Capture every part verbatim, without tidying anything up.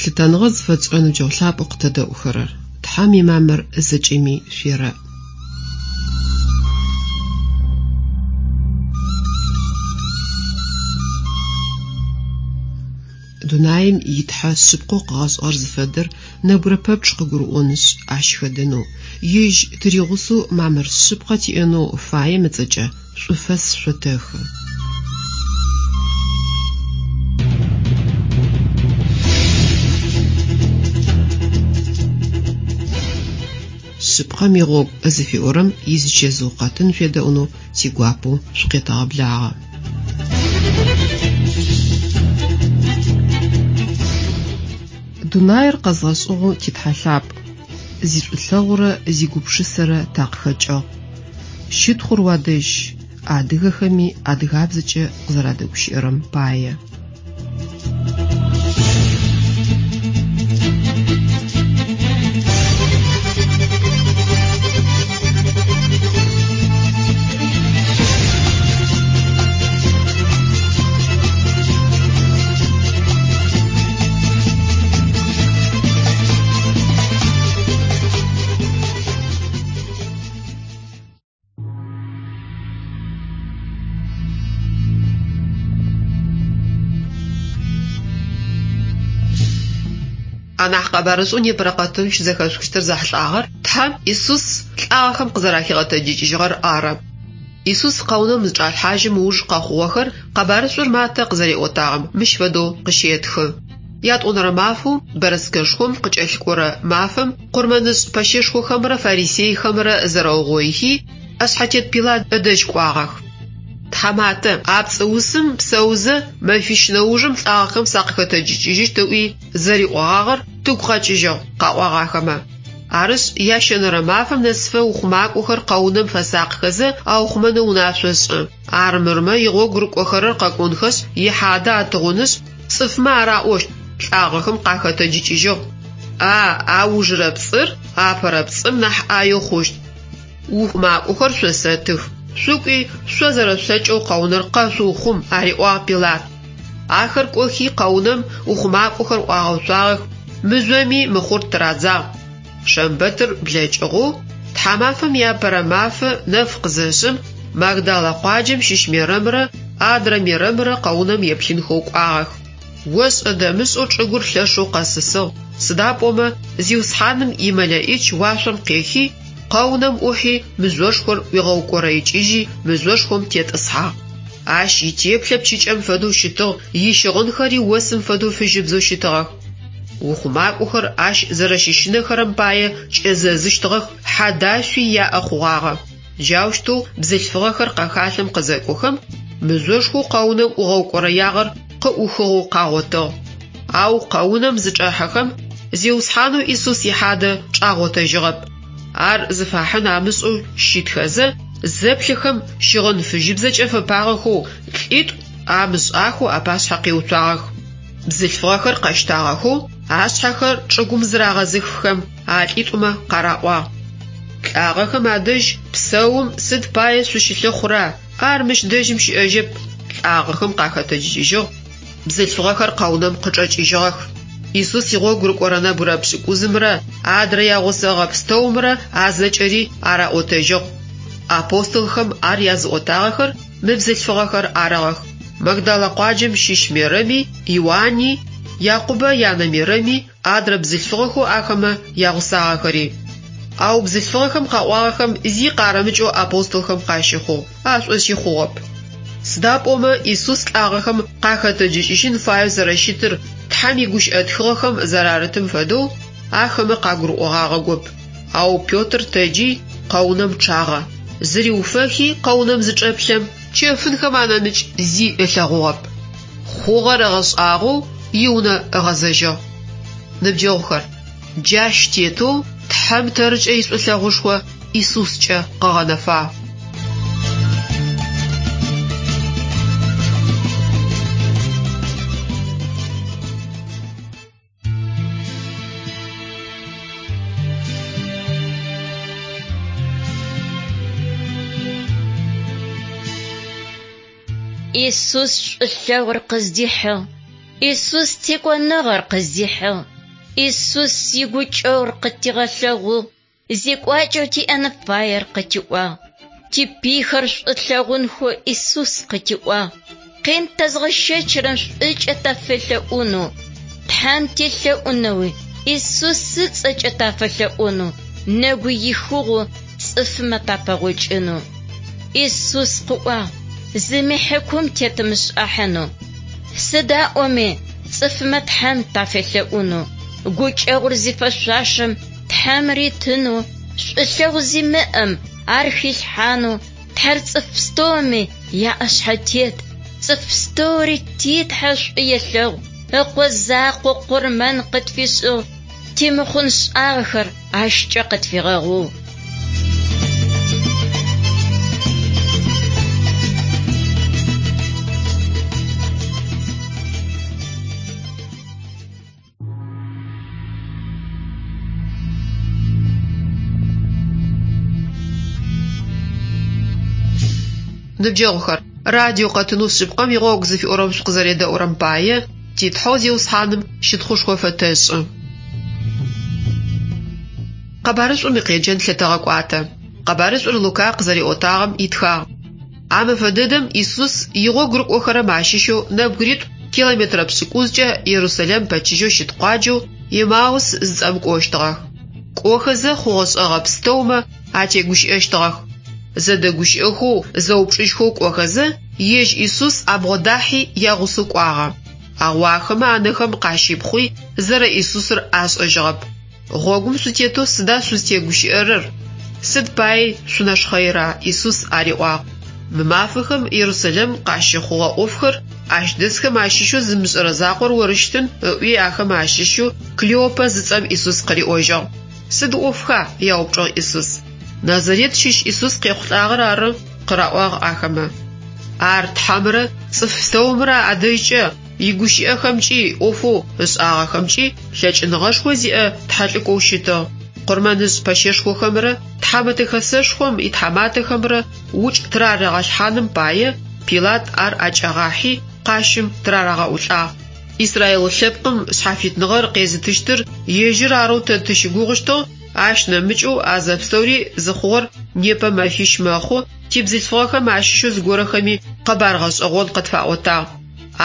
Лъытэныгъэ зыфэтшӏырэ ныбджэгъу лъапӏэу къытэдэӏухэрэр, Тхьэм имамыр зэкӏэми шъуерэӏ. Дунаим итхьэ шъыпкъэу къыгъэшӏыгъэр зыфэдэр нэбгырэ пэпчъ къыгурыӏонышъ, ащ хэдэнэу, ежь тыригъусэу мамыр шъыпкъэ тиӏэнэу фаем ыцӏэкӏэ шӏуфэс шъотэхы. Шъыпкъэм игъогу зыфиӏорэм изычэзыу къэтын шъуедэӏунэу тигуапэу шъукъетэгъэблагъэ. Дунаир къэзгъэшӏыгъэу титхьэ лъапӏ, зишӏулъэгъурэ зигупшысэрэ такъыхэкӏыгъ. Щытхъур уадэжь, адыгэхэми адыгабзэкӏэ къызэрадэгущыӏэрэм пае. Анахь къэбарышӏэу непэрэ къэтын щызэхэшъухыщтыр зэхьылӏагъэр Тхьэм Исус лӏагъэхэм къызэрахигъэтэджыкӏыжьыгъэр ары. Исус къэунэм зычӏалъхьажьым ыуж къэхъугъэхэр къэбарышӏур Матэ къызэриӏотагъэм мыщ фэдэу къыщетхы. Ятӏонэрэ мафэу бэрэскэшхом къыкӏэлъыкӏорэ мафэм къурмэнышӏ пэщэшхохэмрэ фарисейхэмрэ зэрэугъоихи, ӏэшъхьэтет Пилат ыдэжь кӏуагъэх. Тхьаматэ, а пцӏыусым псэузэ мэфищ нэужым лӏагъэхэм сакъыхэтэджыкӏыжьыщт ыӏуи зэриӏогъагъэр тыгу къэкӏыжьыгъ, къаӏуагъ ахэмэ. Арышъ, ящэнэрэ мафэм нэсыфэ ухъумакӏохэр къэунэм фэсакъхэзэ аухъумэнэу унашъо шӏы. Армырмэ игъогу рыкӏохэрэр къэкӏонхэшъ, ихьадэ атыгъунышъ, цӏыфмэ араӏощт, лӏагъэхэм къахэтэджыкӏыжьыгъ. А аужырэ пцӏыр апэрэ пцӏым нахь ӏаеу хъущт. Ухъумакӏохэр шъосэтых. Шъукӏуи, шъо зэрэшъулъэкӏэу къэунэр къэшъуухъум, ариӏуагъ Пилат. Ахэр кӏохи къэунэм ухъумакӏохэр ӏуагъэуцуагъэх, мыжъоми мыхъур тырадзагъ. Шэмбэтыр блэкӏыгъэу, тхьамафэм иапэрэ мафэ нэф къызэшъым, Магдала къуаджэм щыщ Мерэмрэ адрэ Мерэмрэ къэунэм еплъынхэу кӏуагъэх. ОшӀэ-дэмышӀэу чӀыгур лъэшэу къэсысыгъ, сыда пӀомэ Зиусхьаным имэлэӀич уашъом къехи, къэунэм Ӏухьи мыжъошхор ӀуигъэукӀорэикӀыжьи мыжъошхом тетӀысхьагъ. Ащ итеплъэ пчыкӀэм фэдэу щытыгъ, ищыгъынхэри осым фэдэу фыжьыбзэу щытыгъэх. УхъумакӀохэр ащ зэрэщыщынэхэрэм пае кӀэзэзыщтыгъэх, хьадашъуи яӀэ хъугъагъэ. Джаущтэу бзылъфыгъэхэр къэхалъэм къызэкӀохэм, мыжъошхоу къэунэм ӀугъэукӀорэягъэр къыӀухыгъэу къагъотыгъ. Ау къэунэм зычӀэхьэхэм, Зиусхьанэу Исус ихьадэ чӀагъотэжьыгъэп. Ар зыфахьын амышӀэу щытхэзэ, зэплъэхэм щыгъын фыжьыбзэкӀэ фэпагъэхэу лӀитӀу амышӀахэу апашъхьэ къиуцуагъэх. Бзылъфыгъэхэр къэщтагъэхэу, ашъхьэхэр чӀыгум зырагъэзыххэм, а лӀитӀумэ къараӀуагъ: «ЛӀагъэхэм адэжь псэум сыд пае шъущылъыхъура? Ар мыщ дэжьым щыӀэжьэп, лӀагъэхэм къахэтэджыкӀыжьыгъ». Бзылъфыгъэхэр къэунэм къычӀэкӀыжьыгъэх. Исус игъогу рыкӀорэ нэбгырэ пшӀыкӀузымрэ адрэ ягъусэгъэ пстэумрэ а зэкӀэри араӀотэжьыгъ. Апостолхэм ар языӀотагъэхэр мы бзылъфыгъэхэр арыгъэх: Магдала къуаджэм щыщ Мерэми, Иуани, Якъубэ янэ Мерэми, адрэ бзылъфыгъэхэу ахэмэ ягъусагъэхэри. Ау бзылъфыгъэхэм къаӀуагъэхэм зи къарымыкӀэу апостолхэм къащыхъугъ, ашӀошъи хъугъэп. Сыда пӀомэ Исус лӀагъэхэм къахэтэджыкӀыжьын фаеу зэрэщытыр Тхьэм игущыӀэ тхыгъэхэм зэрарытым фэдэу ахэмэ къагурыӀогъагъэгоп. Ау Петр тэджи къэунэм чъагъэ. Зыриуфэхи къэунэм зычӀэплъэм, чэфынхэм анэмыкӀ зи ылъэгъугъэп. Хъугъэр ыгъэшӀагъоу иунэ ыгъэзэжьыгъ. Ныбджэгъухэр, джащ тетэу Тхьэм тэркӀэ ишӀулъэгъушхо ИсускӀэ къыгъэнэфагъ. Исус шӀулъэгъур къыздихьыгъ, Исус текӀоныгъэр къыздихьыгъ. Исус игукӏэгъур къытигъэлъэгъугъ, зекӏуакӏэу тиӏэн фаер къытиӏуагъ. Типыйхэр шӏу тлъэгъунхэу Исус къытиӏуагъ. Къин тэзгъэщэчырэм шӏукӏэ тафэлъэӏунэу, Тхьэм телъэӏунэуи Исус ыцӏэкӏэ тафэлъэӏунэу, нэгу ихыгъэу цӏыфмэ тапэгъокӏынэу. Исус къыӏуагъ, зыми хьакум тетымышӏахьынэу. Сыда ӏоми цӏыфмэ Тхьэм тафэлъэӏунэу, гукӏэгъур зифэшъуашэм Тхьэм ритынэу, шӏулъэгъу зимыӏэм ар хилъхьанэу, Тхьэр цӏыф пстэуми яӏэшъхьэтет, цӏыф пстэури ти Тхьэ шӏу елъэгъу, ыкъо закъо къурмэн къытфишӏыгъ, тимыхъун шӏагъэхэр ащкӏэ къытфигъэгъугъ. Ныбджэгъухэр, радио къэтынэу шъыпкъэм игъогу зыфиӏорэм шъукъызэредэӏурэм пае ти Тхьэу Зиусхьаным щытхъушхо фэтэшӏы. Къэбарышӏум икъеджэн лъытэгъэкӏуатэ. Къэбарышӏур Лука къызэриӏотагъэм итхагъ. А мэфэ дэдэм Исус игъогу рыкӏохэрэм ащыщэу нэбгыритӏу километрэ пшӏыкӏузкӏэ Иерусалим пэчыжьэу щыт къуаджэу Емаус зыцӏэм кӏощтыгъэх. Кӏохэзэ хъугъэ-шӏэгъэ пстэумэ атегущыӏэщтыгъэх. Зэдэгущыӏэхэу, зэупчӏыжьхэу кӏохэзэ, ежь Исус абгъодахьи ягъусэу кӏуагъэ. Ау ахэмэ анэхэм къащипхъуи зэрэ Исусыр ашӏэжьыгъэп. Гъогум шъутетэу сыда шъузтегущыӏэрэр? Сыд пае шъунэшхъэира? Исус ариӏуагъ. Мы мафэхэм Иерусалим къащыхъугъэ ӏофхэр ащ дэсхэм ащыщэу зымышӏэрэ закъор орыщтын, ыӏуи ахэм ащыщэу Клеопэ зыцӏэм Исус къыриӏожьыгъ. Сыд ӏофха? Яупчӏыгъ Исус. Назарет щыщ Исус къехъулӏагъэр ары, къыраӏуагъ ахэмэ. Ар Тхьэмрэ цӏыф пстэумрэ адэжькӏэ игущыӏэхэмкӏи ӏофэу ышӏагъэхэмкӏи лъэкӏыныгъэшхо зиӏэ тхьэлӏыкӏоу щытыгъ. Къурмэнышӏ пэщэшхохэмрэ тхьамэтэ хэсэшхом итхьаматэхэмрэ укӏ тырарагъэлъхьаным пае Пилат ар ӏэкӏагъахьи къащым тырарагъэӏулӏагъ. Израил лъэпкъым шъхьафитныгъэр къезытыщтыр ежьыр арэу тэ тыщыгугъыщтыгъ, ащ нэмыкӏэу а зэпстэури зыхъугъэр непэ мэфищ мэхъу, тибзылъфыгъэхэм ащыщэу зыгорэхэми къэбар гъэшӏэгъон къытфаӏотагъ.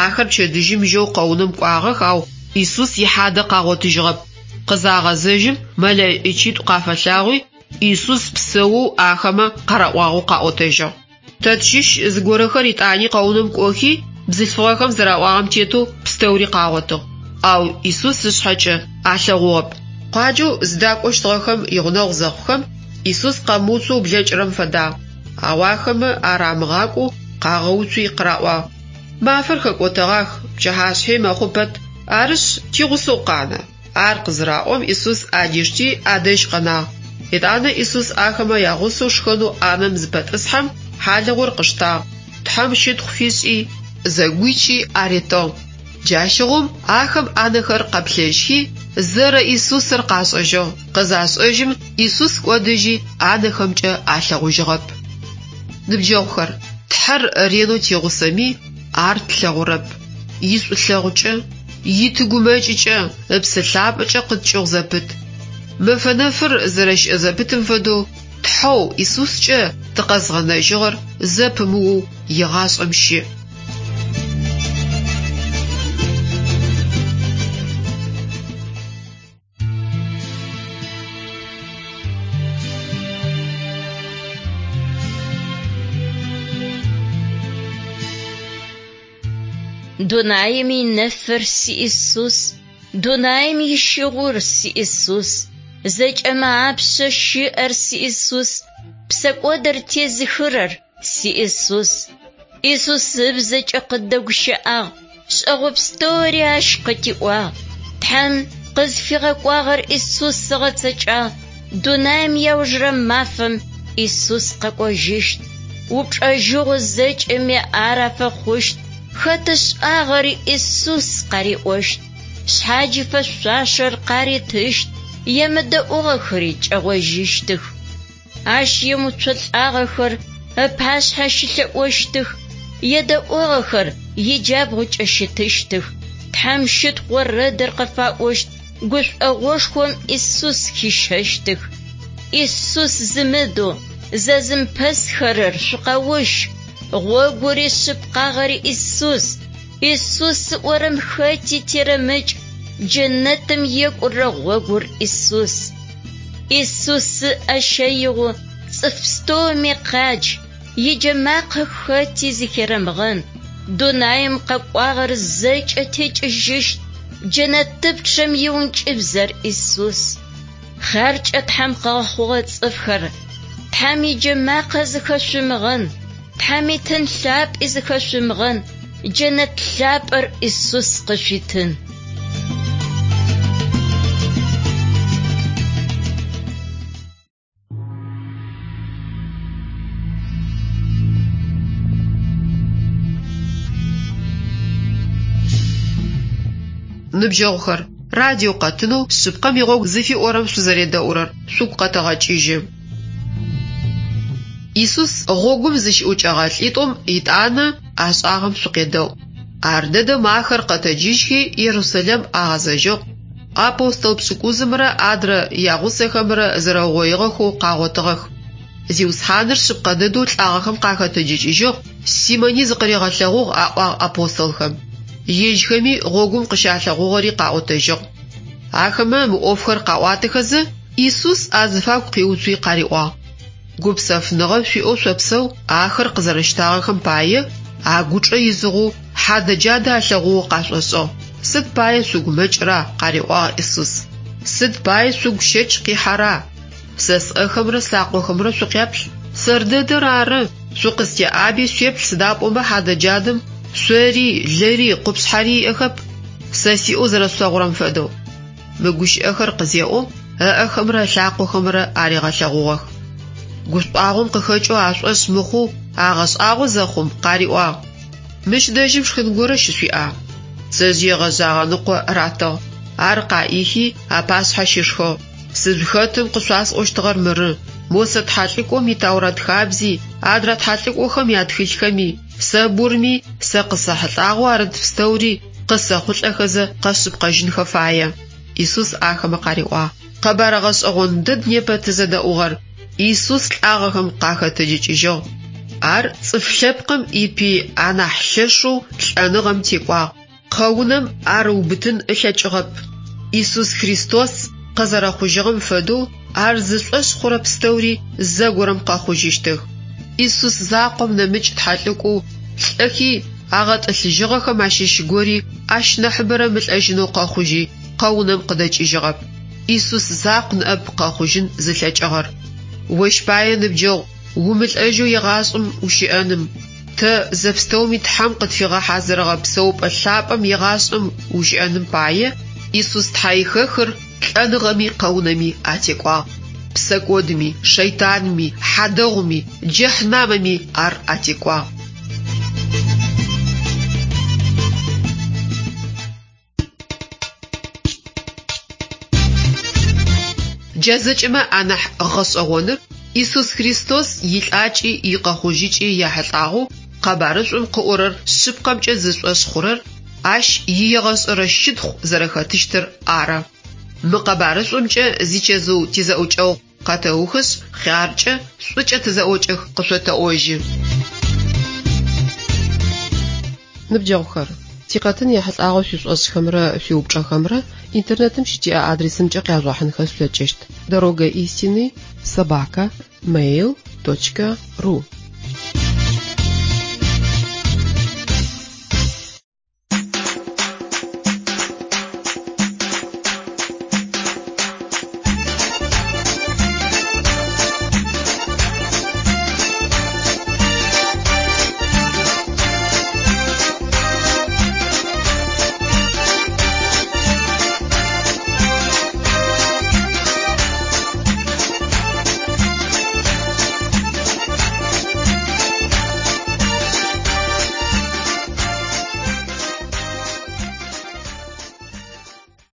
Ахэр пчэдыжьым жьэу къэунэм кӏуагъэх, ау Исус ихьадэ къагъотыжьыгъэп. Къызагъэзэжьым мэлэӏичитӏу къафэлъагъуи, Исус псэоу ахэмэ къараӏуагъэу къаӏотэжьыгъ. Тэ тщыщ зыгорэхэр итӏани къэунэм кӏохи, бзылъфыгъэхэм зэраӏуагъэм тетэу пстэури къагъотыгъ. Ау Исус ышъхьэкӏэ алъэгъугъэп. Къуаджэу зыдакӏощтыгъэхэм игъунэгъу зэхъухэм, Исус къэмыуцоу блэкӏырэм фэдагъ. Ау ахэмэ ар амыгъакӏоу къагъэуцуи къыраӏуагъ. Мафэр хэкӏотэгъах, пчыхьашъхьи мэхъу пэт, арышъ тигъусэу къанэ. Ар къызыраӏом Исус адишти адэжь къэнагъ. Итӏанэ Исус ахэмэ ягъусэу шхэнэу ӏанэм зыпэтӏысхьэм хьалыгъур къыштагъ, Тхьэм щытхъу фишӏи, зэгуичи аритыгъ. Джащыгъум ахэм ӏанэхэр къэплъэжьхи, зэрэ Исусыр къашӏэжьыгъ. Къызашӏэжьым Исус кӏодыжьи ӏанэхэмкӏэ алъэгъужьыгъэп. Ныбджэгъухэр, Тхьэр ренэу тигъусэми, ар тлъэгъурэп. Ишӏулъэгъукӏэ, итыгумэкӏыкӏэ, ыпсэ лъапӏэкӏэ къыткӏыгъу зэпыт. Мэфэ нэфыр зэрэщыӏэ зэпытым фэдэу Тхьэу Исускӏэ тыкъэзгъэнэжьыгъэр зэпымыоу егъашӏэм щыӏ. Дунаим инэфыр си Исус, дунаим ищыгъур си Исус, зэкӏэмэ апшъэ щыӏэр си Исус, псэкӏодыр тезыхырэр си Исус. Исус ыбзэкӏэ къыддэгущыӏагъ, шӏэгъо пстэури ащ къытиӏуагъ. Тхьэм къызфигъэкӏуагъэр Исус ыгъэцэкӏагъ. Дунаим иаужырэ мафэм Исус къэкӏожьыщт. Упчӏэжьыгъо зэкӏэми ар афэхъущт. Хэт ышӏагъэри Исус къариӏощт. Шъхьадж фэшъуашэр къаритыщт, емыдэӏугъэхэри кӏэгъожьыщтых. Ащ емыуцолӏагъэхэр ыпашъхьэ щылъэӏощтых, едэӏугъэхэр иджабгъукӏэ щытыщтых. Тхьэм щытхъу орэдыр къыфаӏощт, Гушӏогъошхом Исус хищэщтых. Исус зымыдэу зэзымпэсхэрэр шъукъэущ. Гъогури шъыпкъагъэри Исус. Исус ыӏорэм хэти терэмыкӏ. Джэнэтым екӏурэ гъогур Исус. Исус ыӏэ щэигъэу цӏыф пстэуми къадж, иджэмакъэ хэти зыхерэмыгъэн. Дунаим къэкӏуагъэр зэкӏэ текӏыжьыщт. Джэнэтыпчъэм иункӏыбзэр Исус. Хъяркӏэ Тхьэм къыгъэхъугъэ цӏыфхэр, Тхьэм иджэмакъэ зыхэшъумыгъэн, Тхьэм итын лъапӏи зыхэшъумыгъэн, джэнэт лъапӏэр Исус къышъуитын. Ныбджэгъухэр, радио къэтынэу шъыпкъэм игъогу зыфиӏорэм шъузэредэӏурэр шъугу къэтэгъэкӏыжьы. Исус гъогум зыщыӏукӏэгъэ лӏитӏум етӏанэ ашӏагъэм шъукъедэӏу. Ар дэдэм ахэр къэтэджыжьхи Ерусалим агъэзэжьыгъ. Апостол пшӏыкӏузымрэ адрэ ягъусэхэмрэ зэрэугъоигъэхэу къагъотыгъэх. Зиусхьаныр шъыпкъэ дэдэу лӏагъэхэм къахэтэджыкӏыжьыгъ, Симони зыкъыригъэлъэгъугъ, аӏуагъ апостолхэм. Ежьхэми гъогум къыщалъэгъугъэри къаӏотэжьыгъ. Ахэмэ мы ӏофхэр къаӏуатэхэзэ, Исус азыфагу къиуцуи къариӏуагъ: Гупсэфыныгъэ шъуиӏэу шъопсэу, ахэр къызэрэщтагъэхэм пае агучӏэ изыгъэу хьадэ-джадэ алъэгъугъэу къашӏошӏыгъ. Сыд пае шъугумэкӏыра? къариӏуагъ Исус. Сыд пае шъугу щэч къихьэра? Сэ сӏэхэмрэ слъакъохэмрэ шъукъяплъ. Сэр дэдэр ары. Шъукъыстеӏаби шъуеплъ сыда пӏомэ хьадэ-джадэм шъори, лыри, къупшъхьэри иӏэхэп. Сэ сиӏэу зэрэшъулъэгъурэм фэдэу. Мы гущыӏэхэр къызеӏом, ыӏэхэмрэ ылъакъохэмрэ аригъэлъэгъугъэх. Гушӏуагъом къыхэкӏэу ашӏошъ мыхъоу агъэшӏагъо зэхъум къариӏуагъ: Мыщ дэжьым шхын горэ щышъуиӏа? Пцэжъые гъэжъагъэ ныкъо ратыгъ. Ар къаӏихи апашъхьэ щишхыгъ. Сызыхэтым къышъуасӏощтыгъэр мыры: Мосэ тхьэлӏыкӏом и Таурэт хабзи, адрэ тхьэлӏыкӏохэм ятхылъхэми, Сэбурми сэ къысэхьылӏагъэу арыт пстэури къысэхъулӏэхэзэ къэшъыпкъэжьынхэ фае. Исус ахэмэ къариӏуагъ: Къэбар гъэшӏэгъон дэд непэ тызэдэӏугъэр. Исус лӏагъэхэм къахэтэджыкӏыжьыгъ. Ар цӏыф лъэпкъым ипый анахь лъэшэу лӏэныгъэм текӏуагъ. Къэунэм ар ыубытын ылъэкӏыгъэп. Исус Христос къызэрэхъужьыгъэм фэдэу ар зышӏошъ хъурэ пстэури зэгорэм къэхъужьыщтых. Исус закъом нэмыкӏ тхьэлӏыкӏоу лӏэхи агъэтӏылъыжьыгъэхэм ащыщ гори ащ нахьыбэрэ мылӏэжьынэу къэхъужьи къэунэм къыдэкӏыжьыгъэп. Исус закъу ныӏэп къэхъужьын зылъэкӏыгъэр. Ощ пае ныбджэгъу умылӏэжьэу егъашӏэм ущыӏэным, тэ зэпстэуми Тхьэм къытфигъэхьазырыгъэ псэупӏэ лъапӏэм егъашӏэм ущыӏэным пае Исус тхьэихэхыр лӏэныгъэми къэунэми атекӏуагъ. Псэкӏодми, шэйтанми, хьадэгъуми, джэхьнамэми ар атекӏуагъ. Джа зэкӏэмэ анахь гъэшӏэгъоныр Исус Христос илӏакӏи икъэхъужьыкӏи яхьылӏагъэу къэбарышӏум къыӏорэр шъыпкъэмкӏэ зышӏошъ хъурэр ащ иегъэшӏэрэ щытхъу зэрэхэтыщтыр ары. Мы къэбарышӏумкӏэ зичэзыу тизэӏукӏэгъу къэтэухышъ, хъяркӏэ, шӏукӏэ тызэӏокӏэх къышъотэӏожьы. Ныбджэгъухэр, тикъэтын ехьылӏагъэу шъуишӏошӏхэмрэ шъуиупчӏэхэмрэ интернетым щытиӏэ адресымкӏэ къяжъугъэхьынхэ шъулъэкӏыщт: дорога истины собака mail точка ру.